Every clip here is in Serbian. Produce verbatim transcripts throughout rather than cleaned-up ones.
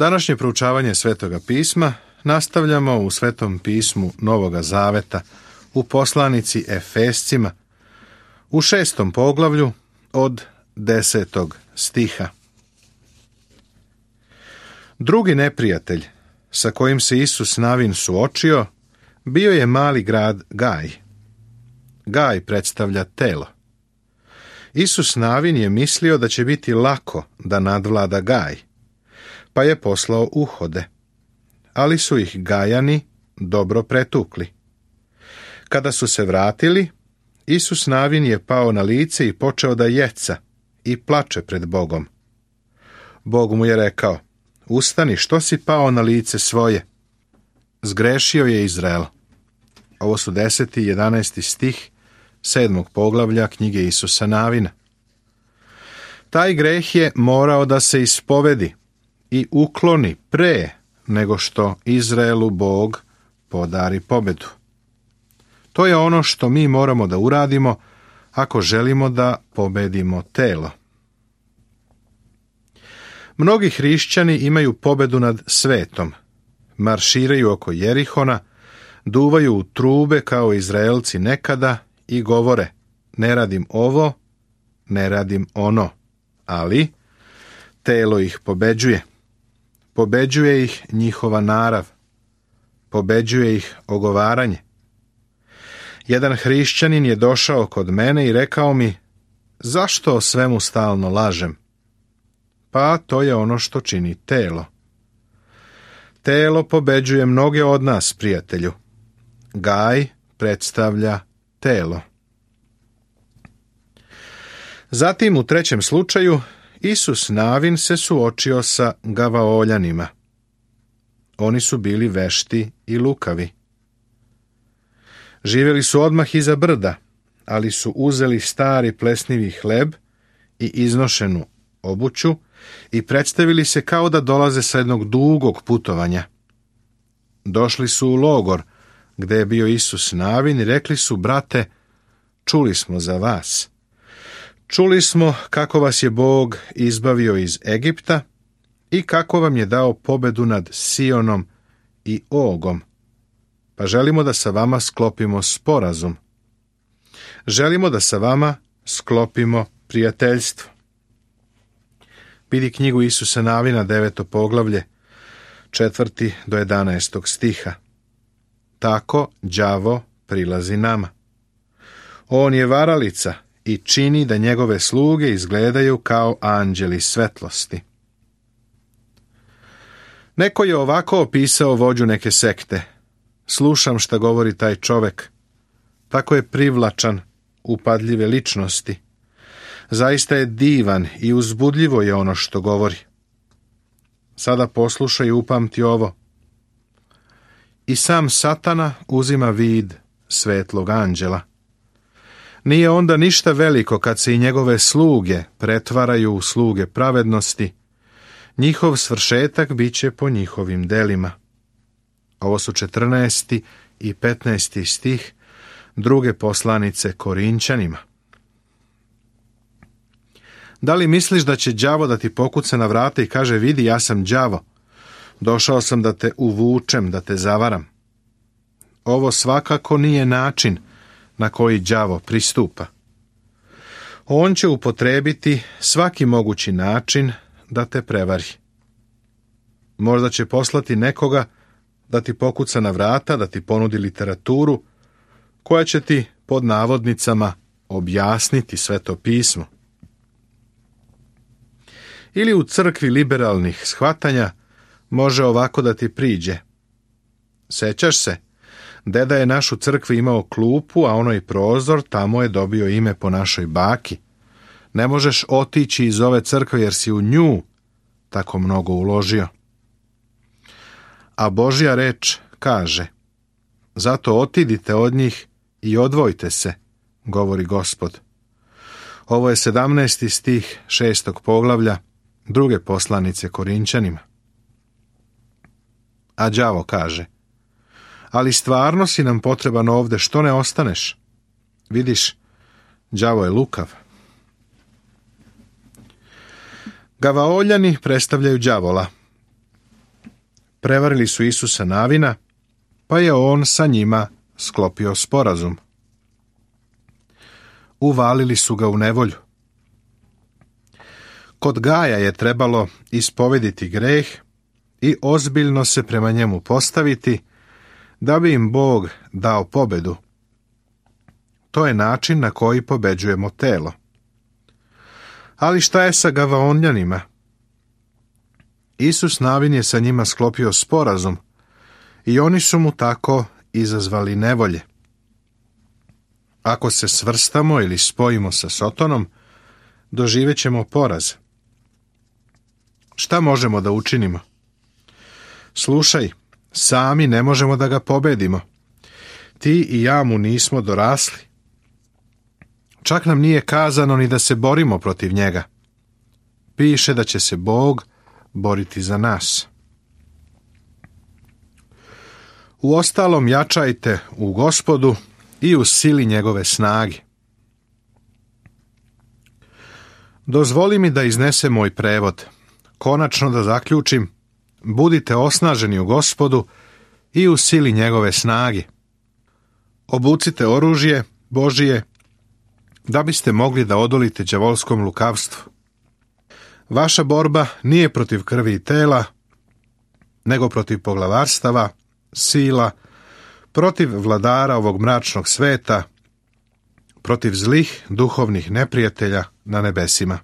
Današnje proučavanje Svetoga pisma nastavljamo u Svetom pismu Novoga Zaveta u poslanici Efescima u šestom poglavlju od desetog stiha. Drugi neprijatelj sa kojim se Isus Navin suočio bio je mali grad Gaj. Gaj predstavlja telo. Isus Navin je mislio da će biti lako da nadvlada Gaj, pa je poslao uhode, ali su ih Gajani dobro pretukli. Kada su se vratili, Isus Navin je pao na lice i počeo da jeca i plače pred Bogom. Bog mu je rekao: ustani, što si pao na lice svoje? Zgrešio je Izrael. Ovo su deseti i jedanaesti stih sedmog poglavlja knjige Isusa Navina. Taj greh je morao da se ispovedi i ukloni pre nego što Izraelu Bog podari pobedu. To je ono što mi moramo da uradimo ako želimo da pobedimo telo. Mnogi hrišćani imaju pobedu nad svetom, marširaju oko Jerihona, duvaju u trube kao Izraelci nekada i govore: ne radim ovo, ne radim ono, ali telo ih pobeđuje. Pobeđuje ih njihova narav, pobeđuje ih ogovaranje. Jedan hrišćanin je došao kod mene i rekao mi: zašto o svemu stalno lažem? Pa to je ono što čini telo. Telo pobeđuje mnoge od nas, prijatelju. Gaj predstavlja telo. Zatim, u trećem slučaju, Isus Navin se suočio sa Gavaoljanima. Oni su bili vešti i lukavi. Živjeli su odmah iza brda, ali su uzeli stari plesnivi hleb i iznošenu obuću i predstavili se kao da dolaze sa jednog dugog putovanja. Došli su u logor gde je bio Isus Navin i rekli su: brate, čuli smo za vas. Čuli smo kako vas je Bog izbavio iz Egipta i kako vam je dao pobedu nad Sionom i Ogom. Pa želimo da sa vama sklopimo sporazum. Želimo da sa vama sklopimo prijateljstvo. Vidi knjigu Isusa Navina, deveto poglavlje, četvrti do jedanaestog stiha. Tako đavo prilazi nama. On je varalica i čini da njegove sluge izgledaju kao anđeli svetlosti. Neko je ovako opisao vođu neke sekte: slušam šta govori taj čovek. Tako je privlačan, upadljive ličnosti. Zaista je divan i uzbudljivo je ono što govori. Sada poslušaj i upamti ovo. I sam Satana uzima vid svetlog anđela. Nije onda ništa veliko kad se i njegove sluge pretvaraju u sluge pravednosti. Njihov svršetak bit će po njihovim delima. Ovo su četrnaesti i petnaesti stih druge poslanice Korinćanima. Da li misliš da će đavo da ti pokuca na vrata i kaže: vidi, ja sam đavo, došao sam da te uvučem, da te zavaram? Ovo svakako nije način na koji đavo pristupa. On će upotrebiti svaki mogući način da te prevari. Možda će poslati nekoga da ti pokuca na vrata, da ti ponudi literaturu koja će ti pod navodnicama objasniti Sveto pismo. Ili u crkvi liberalnih shvatanja može ovako da ti priđe: sećaš se, deda je naš u crkvi imao klupu, a onaj prozor, tamo je dobio ime po našoj baki. Ne možeš otići iz ove crkve jer si u nju tako mnogo uložio. A Božja reč kaže: zato otidite od njih i odvojte se, govori Gospod. Ovo je sedamnaesti stih šestog poglavlja druge poslanice Korinćanima. A đavo kaže: ali stvarno si nam potreban ovde, što ne ostaneš? Vidiš, đavo je lukav. Gavaoljani predstavljaju đavola. Prevarili su Isusa Navina, pa je on sa njima sklopio sporazum. Uvalili su ga u nevolju. Kod Gaja je trebalo ispovediti greh i ozbiljno se prema njemu postaviti, da bi im Bog dao pobedu. To je način na koji pobeđujemo telo. Ali šta je sa Gavaonljanima? Isus Navin je sa njima sklopio sporazum i oni su mu tako izazvali nevolje. Ako se svrstamo ili spojimo sa Sotonom, doživet ćemo poraz. Šta možemo da učinimo? Slušaj, sami ne možemo da ga pobedimo. Ti i ja mu nismo dorasli. Čak nam nije kazano ni da se borimo protiv njega. Piše da će se Bog boriti za nas. Uostalom, jačajte u Gospodu i u sili njegove snage. Dozvoli mi da iznesem moj prevod. Konačno da zaključim, budite osnaženi u Gospodu i u sili njegove snage. Obucite oružje Božije, da biste mogli da odolite đavolskom lukavstvu. Vaša borba nije protiv krvi i tela, nego protiv poglavarstava, sila, protiv vladara ovog mračnog sveta, protiv zlih duhovnih neprijatelja na nebesima.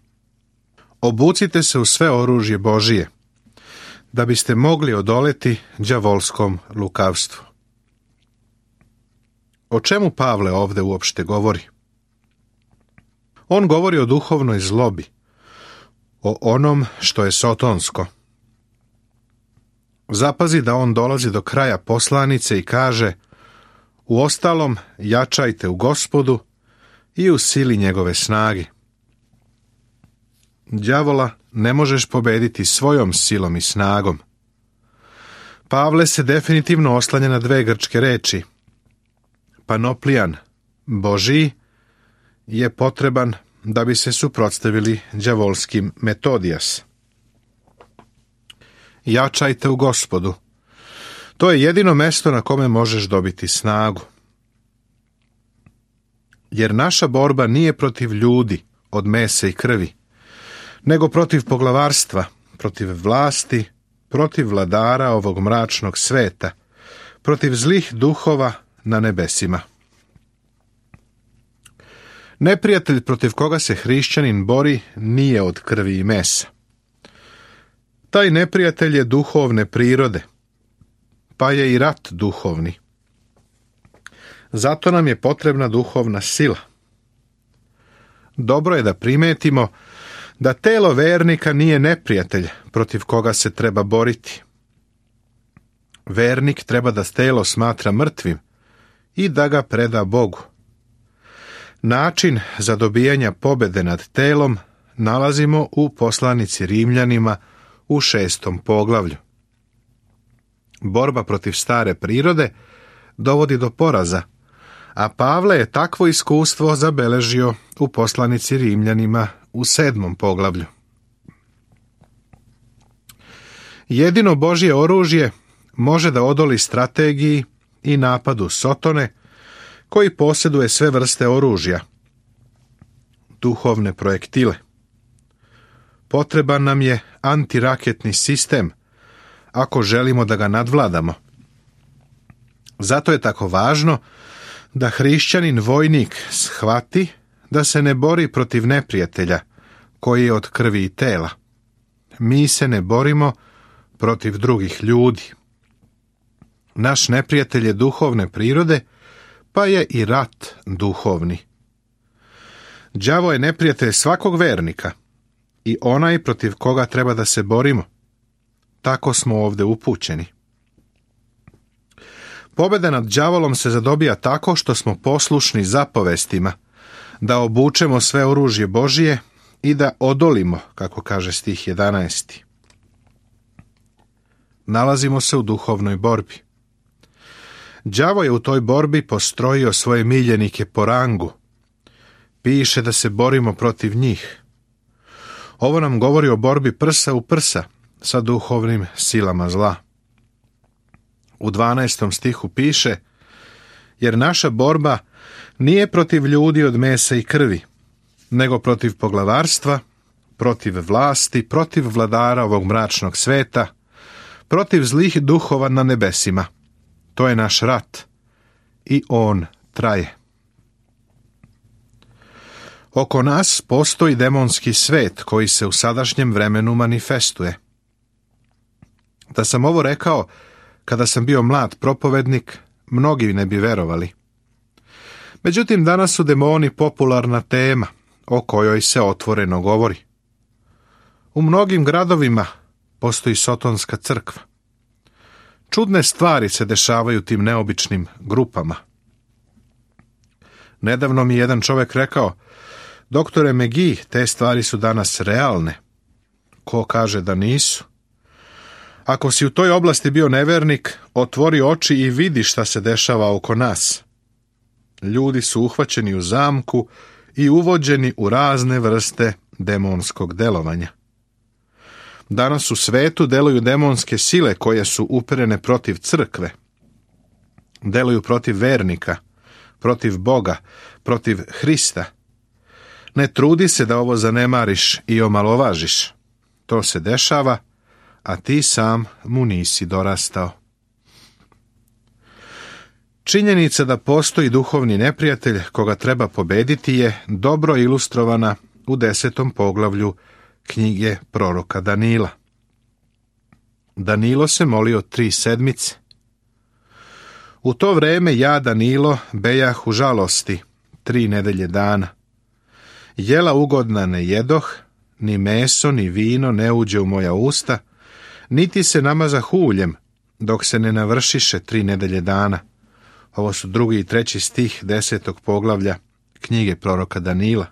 Obucite se u sve oružje Božije, da biste mogli odoleti đavolskom lukavstvu. O čemu Pavle ovde uopšte govori? On govori o duhovnoj zlobi, o onom što je sotonsko. Zapazi da on dolazi do kraja poslanice i kaže: uostalom, jačajte u Gospodu i u sili njegove snage. Đavola ne možeš pobediti svojom silom i snagom. Pavle se definitivno oslanja na dve grčke reči. Panoplijan, Božiji, je potreban da bi se suprotstavili đavolskim metodijas. Jačajte u Gospodu. To je jedino mesto na kome možeš dobiti snagu. Jer naša borba nije protiv ljudi od mesa i krvi, nego protiv poglavarstva, protiv vlasti, protiv vladara ovog mračnog sveta, protiv zlih duhova na nebesima. Neprijatelj protiv koga se hrišćanin bori nije od krvi i mesa. Taj neprijatelj je duhovne prirode, pa je i rat duhovni. Zato nam je potrebna duhovna sila. Dobro je da primetimo da telo vernika nije neprijatelj protiv koga se treba boriti. Vernik treba da telo smatra mrtvim i da ga preda Bogu. Način za dobijanje pobede nad telom nalazimo u poslanici Rimljanima u šestom poglavlju. Borba protiv stare prirode dovodi do poraza, a Pavle je takvo iskustvo zabeležio u poslanici Rimljanima u sedmom poglavlju. Jedino Božje oružje može da odoli strategiji i napadu Sotone, koji posjeduje sve vrste oružja, duhovne projektile. Potreban nam je antiraketni sistem, ako želimo da ga nadvladamo. Zato je tako važno da hrišćanin vojnik shvati da se ne bori protiv neprijatelja, koji je od krvi i tela. Mi se ne borimo protiv drugih ljudi. Naš neprijatelj je duhovne prirode, pa je i rat duhovni. Đavo je neprijatelj svakog vernika i onaj protiv koga treba da se borimo. Tako smo ovde upućeni. Pobjeda nad đavolom se zadobija tako što smo poslušni zapovestima, da obučemo sve oružje Božije i da odolimo, kako kaže stih jedanaesti. Nalazimo se u duhovnoj borbi. Đavo je u toj borbi postrojio svoje miljenike po rangu. Piše da se borimo protiv njih. Ovo nam govori o borbi prsa u prsa sa duhovnim silama zla. U dvanaestom stihu piše: jer naša borba nije protiv ljudi od mesa i krvi, nego protiv poglavarstva, protiv vlasti, protiv vladara ovog mračnog sveta, protiv zlih duhova na nebesima. To je naš rat i on traje. Oko nas postoji demonski svet koji se u sadašnjem vremenu manifestuje. Da sam ovo rekao kada sam bio mlad propovednik, mnogi ne bi verovali. Međutim, danas su demoni popularna tema o kojoj se otvoreno govori. U mnogim gradovima postoji sotonska crkva. Čudne stvari se dešavaju tim neobičnim grupama. Nedavno mi jedan čovjek rekao: doktore McGee, te stvari su danas realne. Ko kaže da nisu? Ako si u toj oblasti bio nevernik, otvori oči i vidi šta se dešava oko nas. Ljudi su uhvaćeni u zamku i uvođeni u razne vrste demonskog delovanja. Danas u svetu deluju demonske sile koje su uperene protiv crkve. Deluju protiv vernika, protiv Boga, protiv Hrista. Ne trudi se da ovo zanemariš i omalovažiš. To se dešava, a ti sam mu nisi dorastao. Činjenica da postoji duhovni neprijatelj koga treba pobediti je dobro ilustrovana u desetom poglavlju knjige proroka Danila. Danilo se molio tri sedmice. U to vreme ja, Danilo, bejah u žalosti tri nedelje dana. Jela ugodna ne jedoh, ni meso, ni vino ne uđe u moja usta, niti se namazah uljem, dok se ne navršiše tri nedelje dana. Ovo su drugi i treći stih desetog poglavlja knjige proroka Danila.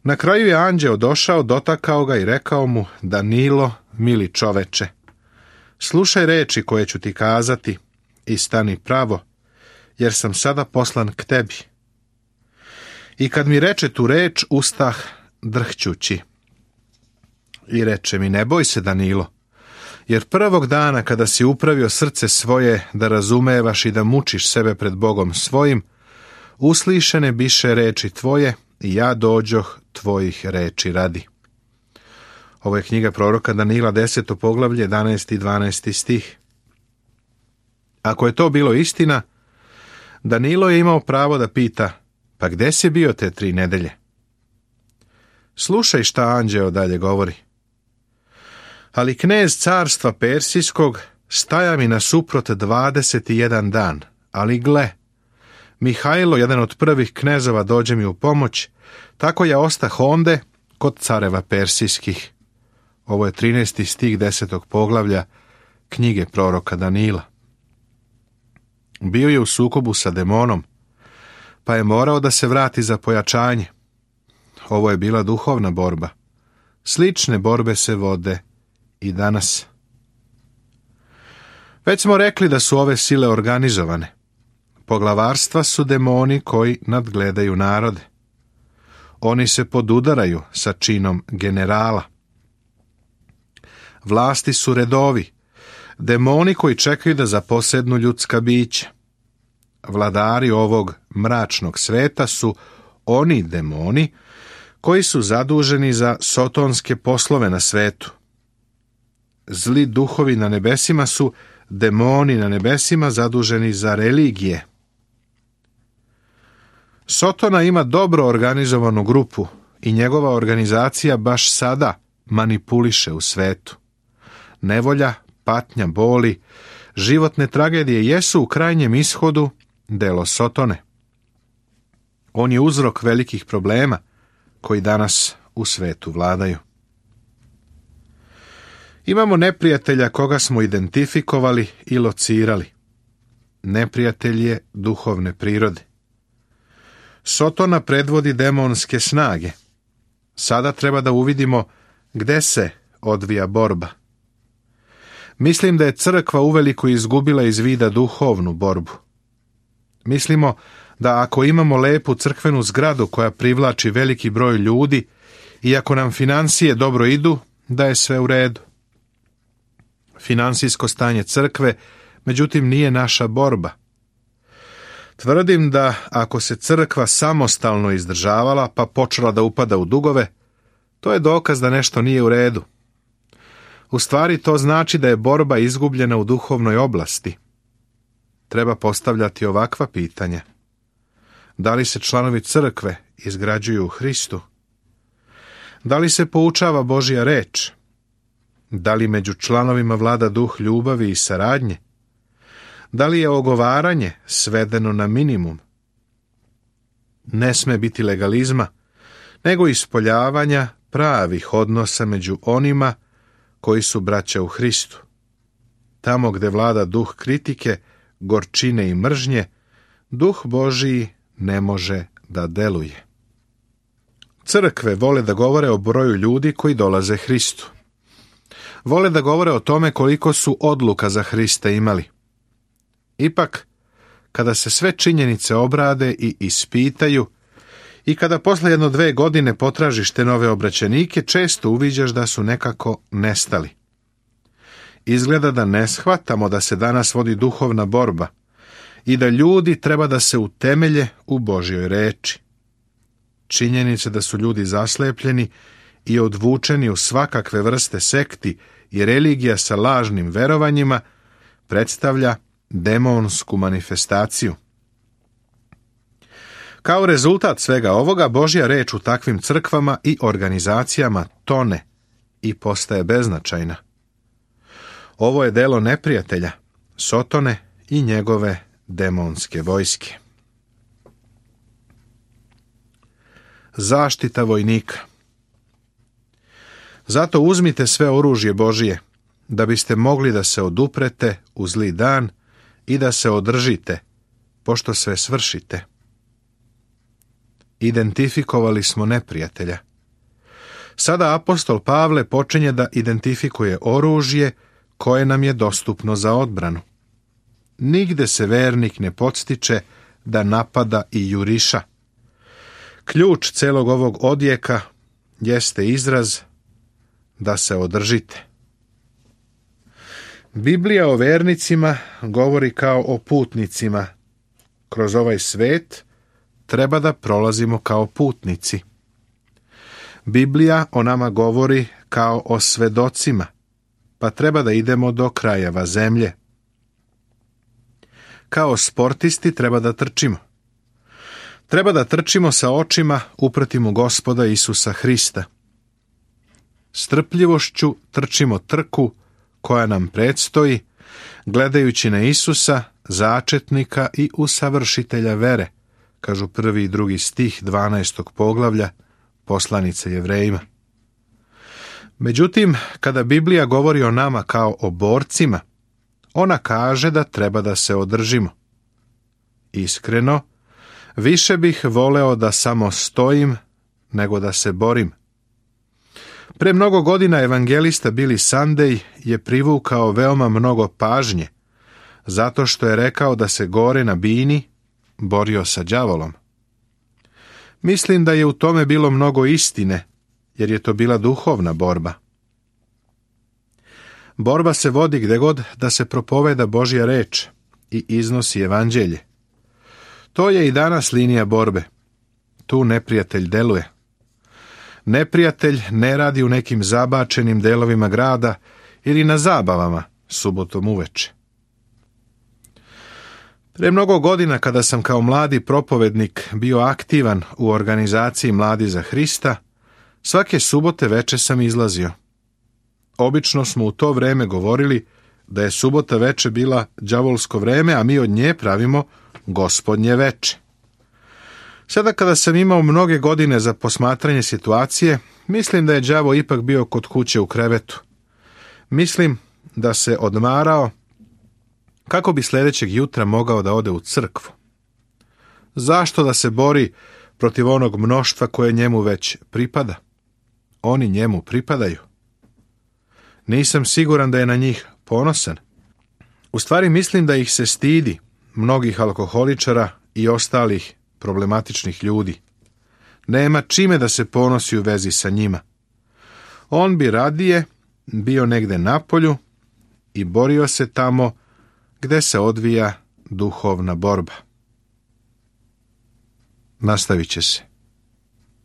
Na kraju je anđeo došao, dotakao ga i rekao mu: Danilo, mili čoveče, slušaj reči koje ću ti kazati i stani pravo, jer sam sada poslan k tebi. I kad mi reče tu reč, ustah drhćući. I reče mi: ne boj se, Danilo, jer prvog dana kada si upravio srce svoje da razumevaš i da mučiš sebe pred Bogom svojim, uslišene biše reči tvoje i ja dođoh tvojih reči radi. Ovo je knjiga proroka Danila, deseto poglavlje, jedanaesti i dvanaesti stih. Ako je to bilo istina, Danilo je imao pravo da pita: pa gde si bio te tri nedelje? Slušaj šta anđeo dalje govori. Ali knez carstva Persijskog staja mi nasuprot dvadeset jedan dan, ali gle, Mihajlo, jedan od prvih knezova, dođe mi u pomoć, tako ja ostah onde kod careva persijskih. Ovo je trinaesti stih desetog poglavlja knjige proroka Danila. Bio je u sukobu sa demonom, pa je morao da se vrati za pojačanje. Ovo je bila duhovna borba. Slične borbe se vode i danas. Već smo rekli da su ove sile organizovane. Poglavarstva su demoni koji nadgledaju narode. Oni se podudaraju sa činom generala. Vlasti su redovi, demoni koji čekaju da zaposednu ljudska bića. Vladari ovog mračnog sveta su oni demoni koji su zaduženi za sotonske poslove na svetu. Zli duhovi na nebesima su demoni na nebesima zaduženi za religije. Sotona ima dobro organizovanu grupu i njegova organizacija baš sada manipuliše u svetu. Nevolja, patnja, boli, životne tragedije jesu u krajnjem ishodu delo Sotone. On je uzrok velikih problema koji danas u svetu vladaju. Imamo neprijatelja koga smo identifikovali i locirali. Neprijatelj je duhovne prirode. Sotona predvodi demonske snage. Sada treba da uvidimo gde se odvija borba. Mislim da je crkva uveliko izgubila iz vida duhovnu borbu. Mislimo da ako imamo lepu crkvenu zgradu koja privlači veliki broj ljudi i ako nam financije dobro idu, da je sve u redu. Finansijsko stanje crkve međutim nije naša borba. Tvrdim da ako se crkva samostalno izdržavala pa počela da upada u dugove, to je dokaz da nešto nije u redu. U stvari to znači da je borba izgubljena u duhovnoj oblasti. Treba postavljati ovakva pitanja. Da li se članovi crkve izgrađuju u Hristu? Da li se poučava Božja reč? Da li među članovima vlada duh ljubavi i saradnje? Da li je ogovaranje svedeno na minimum? Ne sme biti legalizma, nego ispoljavanja pravih odnosa među onima koji su braća u Hristu. Tamo gde vlada duh kritike, gorčine i mržnje, duh Božiji ne može da deluje. Crkve vole da govore o broju ljudi koji dolaze Hristu. Vole da govore o tome koliko su odluka za Hrista imali. Ipak, kada se sve činjenice obrade i ispitaju i kada posle jedno dve godine potražiš te nove obraćenike, često uviđaš da su nekako nestali. Izgleda da ne shvatamo da se danas vodi duhovna borba i da ljudi treba da se utemelje u Božjoj reči. Činjenice da su ljudi zaslepljeni i odvučeni u svakakve vrste sekti i religija sa lažnim verovanjima predstavlja demonsku manifestaciju. Kao rezultat svega ovoga, Božja reč u takvim crkvama i organizacijama tone i postaje beznačajna. Ovo je delo neprijatelja, Sotone i njegove demonske vojske. Zaštita vojnika. Zato uzmite sve oružje Božije, da biste mogli da se oduprete u zli dan i da se održite, pošto sve svršite. Identifikovali smo neprijatelja. Sada apostol Pavle počinje da identifikuje oružje koje nam je dostupno za odbranu. Nigde se vernik ne podstiče da napada i juriša. Ključ celog ovog odjeka jeste izraz da se održite. Biblija o vernicima govori kao o putnicima. Kroz ovaj svet treba da prolazimo kao putnici. Biblija o nama govori kao o svedocima, pa treba da idemo do krajeva zemlje. Kao sportisti treba da trčimo. Treba da trčimo sa očima upretim u Gospoda Isusa Hrista. Strpljivošću trčimo trku koja nam predstoji, gledajući na Isusa, začetnika i usavršitelja vere, kažu prvi i drugi stih dvanaestog poglavlja poslanice Jevrejima. Međutim, kada Biblija govori o nama kao o borcima, ona kaže da treba da se održimo. Iskreno, više bih voleo da samo stojim nego da se borim. Pre mnogo godina evangelista Billy Sunday je privukao veoma mnogo pažnje, zato što je rekao da se gore na bini borio sa đavolom. Mislim da je u tome bilo mnogo istine, jer je to bila duhovna borba. Borba se vodi gde god da se propoveda Božja reč i iznosi evanđelje. To je i danas linija borbe. Tu neprijatelj deluje. Neprijatelj ne radi u nekim zabačenim delovima grada ili na zabavama subotom uveče. Pre mnogo godina, kada sam kao mladi propovednik bio aktivan u organizaciji Mladi za Hrista, svake subote veče sam izlazio. Obično smo u to vreme govorili da je subota veče bila đavolsko vreme, a mi od nje pravimo gospodnje veče. Sada kada sam imao mnoge godine za posmatranje situacije, mislim da je đavo ipak bio kod kuće u krevetu. Mislim da se odmarao kako bi sljedećeg jutra mogao da ode u crkvu. Zašto da se bori protiv onog mnoštva koje njemu već pripada? Oni njemu pripadaju. Nisam siguran da je na njih ponosan. U stvari mislim da ih se stidi, mnogih alkoholičara i ostalih problematičnih ljudi. Nema čime da se ponosi u vezi sa njima. On bi radije bio negde napolju i borio se tamo gde se odvija duhovna borba. Nastavit će se.